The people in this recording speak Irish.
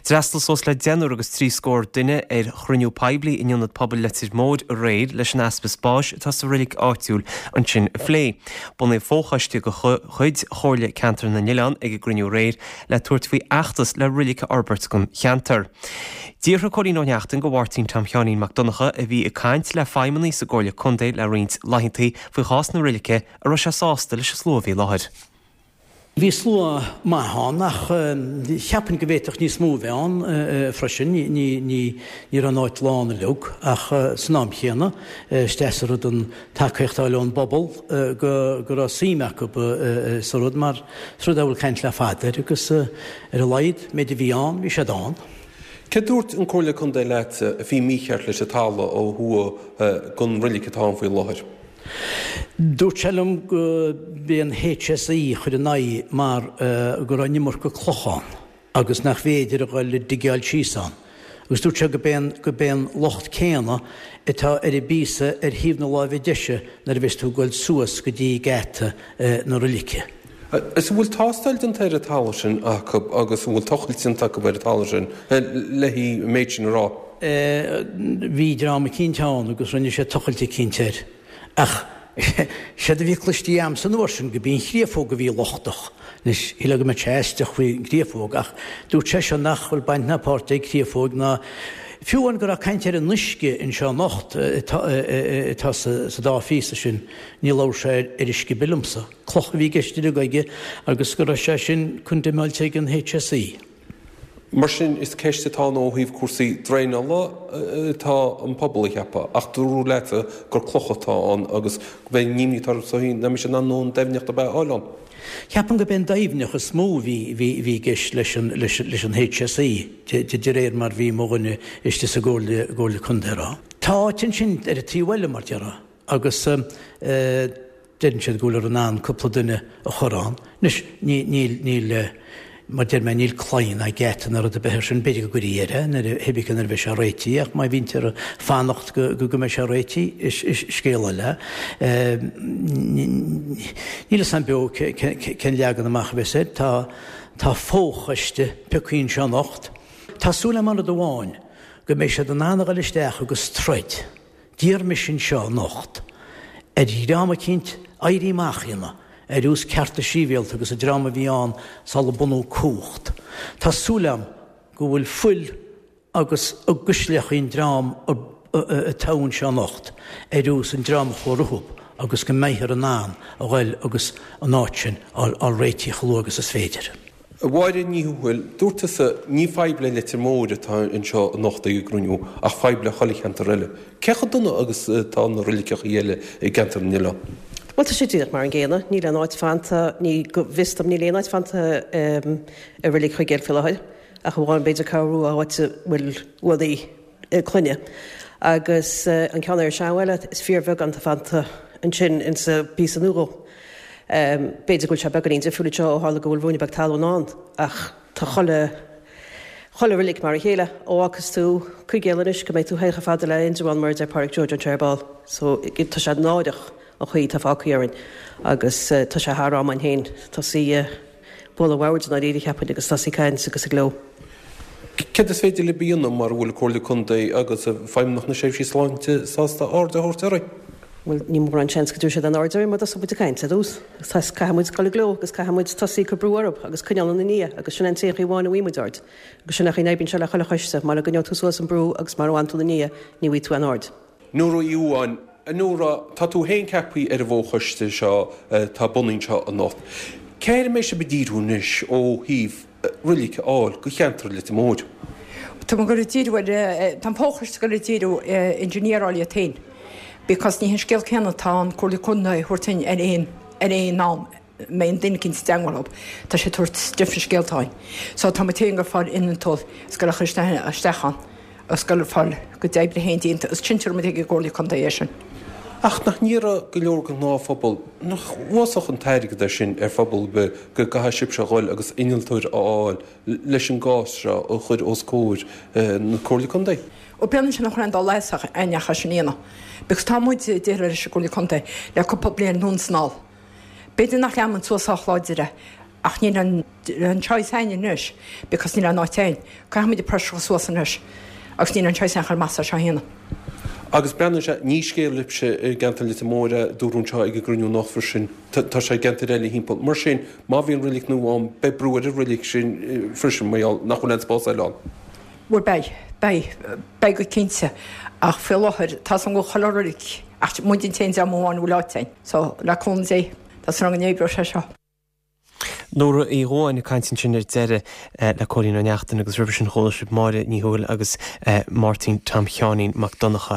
D'fhreastail suas le deichniúr agus 30 duine ar chruinniú poiblí in Ionad Pobail Leitir Móir aréir leis an easpa spáis atá sa reilig áitiúil ansin a phlé. Bunaíodh fochoiste de chuid Chomhairle Ceantar na nOileán ag an gcruinniú aréir le tabhairt faoi fheachtas le reilig a fhorbairt don cheantar. D'fhiafraigh Cóilín Ó Neachtain de Mháirtín Tom Sheáinín Mac Donncha, a bhí ag caint le feidhmeannaigh sa gComhairle Contae le roinnt laethanta faoi chás na reilice, an raibh sé sásta leis an slua a bhí i láthair. Bhí slua maith ann ach cheapfainn go bhféadfadh níos mó a bheith ann freisin. Ní raibh an áit lán uilig ach san am chéanna is deas an rud an tacaíocht a fháil ón bpobal go raibh suim acu sa rud mar is rud é a bhfuil caint le fada air agus ar a laghad méid a bhí ann bhí siad ann. Céard dúirt an Comhairle Contae leat a bhí mícheart leis an talamh ó thuaidh den reilig atá ann faoi láthair? Dúirt sé liom go b'é an HSE a chuir ina aghaidh mar go raibh an iomarca cloch ann agus nach bhféidir a dhul ag digeáil síos ann. Agus dúirt sé go b'é an, go b'é an locht céanna atá ar an bpíosa ar thaobh na láimhe deise nuair a bheas tú ag goil suas go dtí geata na roilice. Is an bhfuil tástáil déanta ar an talamh sin acu agus an bhfuil tochailt déanta acu ar an talamh sin le an méid sin a rá? Bhí dream eicínt ann agus rinne sé tochailt eicínt air. Ach séard a bhí cloistí a'msa an uair sin go b'í an chréafóg a bhí lochtach. Anois, shílfeá go mbeadh sé aisteach faoin gcréafóg ach dúirt sé seo nach bhfuil baint ná páirt ag créafóig ná fiú amháin go raibh caint ar an uisce anseo anocht atá sa dá phíosa sin, ní labhair sé ar uisce ar bith liomsa. Cloch a bhí i gceist uilig aige agus go raibh sé sin condemnáilte ag an HSE. Mar sin, is ceist atá ann ó thaobh cúrsaí draenála atá an pobal a cheapadh, ach dúradh leatsa gur cloch atá ann agus go mbeidh an imní atá orthu nach mbeidh siad in ann an doimhneacht ar bith a fháil ann. Ceapaim gurb é an doimhneacht is mó a bhí i gceist leis an HSE, de réir mar bhí mo dhuine istigh sa gComhairle Contae a rá. Tá áit ansin ar an taobh eile, mar déarfá, agus. Deireann siad go bhfuilear in ann cúpla duine a chur ann. Anois, ní, níl, níl, mar deir mé, níl claí ná geata ná rud ar bith air sin. B'fhéidir go gcuirfí air é nuair a, cibé nuair a bheidh sé réitithe ach má bhítear ag fanacht go, go, go mbeidh sé réitithe, is, is scéal eile é. Níl fhios a'm beo cé, cé, cén leagan amach a bheas air. Tá, tá fochoiste piocthaí anseo anocht. Tá súil a'm ar rud amháin, go mbeidh siad in ann a dhul isteach agus troid. D'iarr mise anseo anocht ar dhream eicínt éirí amach a dhéanamh ar nós cearta sibhialta agus an dream a bhí ann sula bunú Cumhacht. Tá súil a'm go bhfuil fuil agus i gcuisleachaí an dream atá anseo anocht ar nós an dream a chuaigh rompu agus go mbeifear in ann a ghoil agus an áit sin a fháil réitithe chomh luath agus is féidir. A Mháire Ní Thuathail, dúirt tusa, ní fadhb le Leitir Móir atá anseo anocht ag an gcruinniú ach fadhb le chuile cheantar eile. Cé chomh dona agus atá na reiligeachaí eile i gceantar na nOileán? Bhuel, tá sé díreach mar an gcéanna. Níl aon áit fanta, ní, go bhfios dom, níl aon áit fanta i Reilig Chuigéil faoi láthair, ach amháin b'fhéidir Ceathrú Rua, áit a bhfuil uaigh clainne. Agus an ceann ar an Seanbhaile, is fíorbheagán atá fanta ansin insa bpíosa nua dhó. B'fhéidir go bhfuil sé beagáinín difriúil anseo ó tharla go bhfuil ruainne beag talún ann ach tá chuile, chuile reilig mar a chéile. Ó fhágfas tú Cuigéal anois go mbeidh tú féin chomh fada le Indreabhán mar a deir Pádraic Joe anseo ar ball. So tá sé náireach an chaoi atá fágtha orainn agus tá sé thar am againn féin tosaí ag bualadh an bhoird i ndáiríre cheapfainn agus tosaí ag caint agus ag gleo. Céard is féidir libh a dhéanamh mara bhfuil Comhairle Contae agus Feidhmeannacht na Seirbhísí Sláinte sásta aird a thabhairt oraibh? Bhuel, ní mórán seans go dtabharfaidh siad aon aird orainn mura dtosóidh muid ag caint ar dtús. Caithfidh muid dul ag gleo agus caithfidh muid tosaí ag cur brú orthu agus coinneáil ina ndiaidh agus sin an t-aon chaoi amháin a bhfaighidh muid aird. Agus sin é an chaoi a n-oibríonn sé le chuile choiste, mara gcoinneoidh tú suas an brú agus mara bhfanann tú ina ndiaidh, ní bhfaighidh tú aon aird. Nóra Uí Dhubháin, A Nóra, tá tú féin ceaptha ar an bhfo-choiste seo atá bunaithe anseo anocht. Cé air a mbeidh sibh ag díriú anois ó thaobh roilig a fháil do cheantar Leitir Móir? Tá muid ag dul ag díriú ar, tá an fo-choiste ag dul ag díriú ar engineer a fháil iad féin because ní hé an scéal céanna atá an Comhairle Contae a thabhairt dúinn ar aon, ar aon am. mbeidh duine eicínt i dteangmháil leo. Tá sé ag tabhairt different scéalta dúinn. So tá muid féin ag fáil innealtóir is ag dul a chur isteach ann is ag dul a fáil a gcuid oibre féin déanta is cinnte muid ag an gComhairle Contae é sin. Ach nach n-iarrfaidh go leor den ghnáthphobal, nach uafásach an t-airgead é sin ar phobal ar bith go gcaithfidh sibhse a dhul agus innealtóir a fháil leis an gcás seo a chur os comhair na Comhairle Contae? Ó b'ionann sin a chur aon dul as ach aithneach as sin a dhéanamh. Because tá muid ag déileáil leis an gComhairle Contae le cúpla bliain anonn is anall. B'fhéidir nach leanann muid suas sách láidir é. Ach níl an an choice a'inn anois because níl aon áit a'inn. Caithfidh muid an pressure a chur suas anois agus níl an choice a'inn chun meas é seo a dhéanamh. Agus breathnaíonn sé, ní scéal libhse i gceantar Leitir Móir é, dúradh anseo ag an gcruinniú anocht freisin, tá sé i gceantair eile thimpeall. Mar sin, má bhíonn reilig nua ann, beidh brú ar an reilig sin freisin mar gheall nach bhfuil aon spás eile ann. Bhuel beidh, beidh, beidh go cinnte. Ach faoi láthair, tá 's agam go bhfuil chuile reilig, ach muid an t-aon dream amháin a bhfuil áit a'inn. So, le cúnamh Dé, tá súil agam go n-oibreoidh sé seo. Nóra Uí Dhubháin ag caint ansin ar deireadh le Cóilín Ó Neachtain agus roimhe sin chuala sibh Máire Ní Thuathail agus Máirtín Tom Sheáinín Mac Donncha.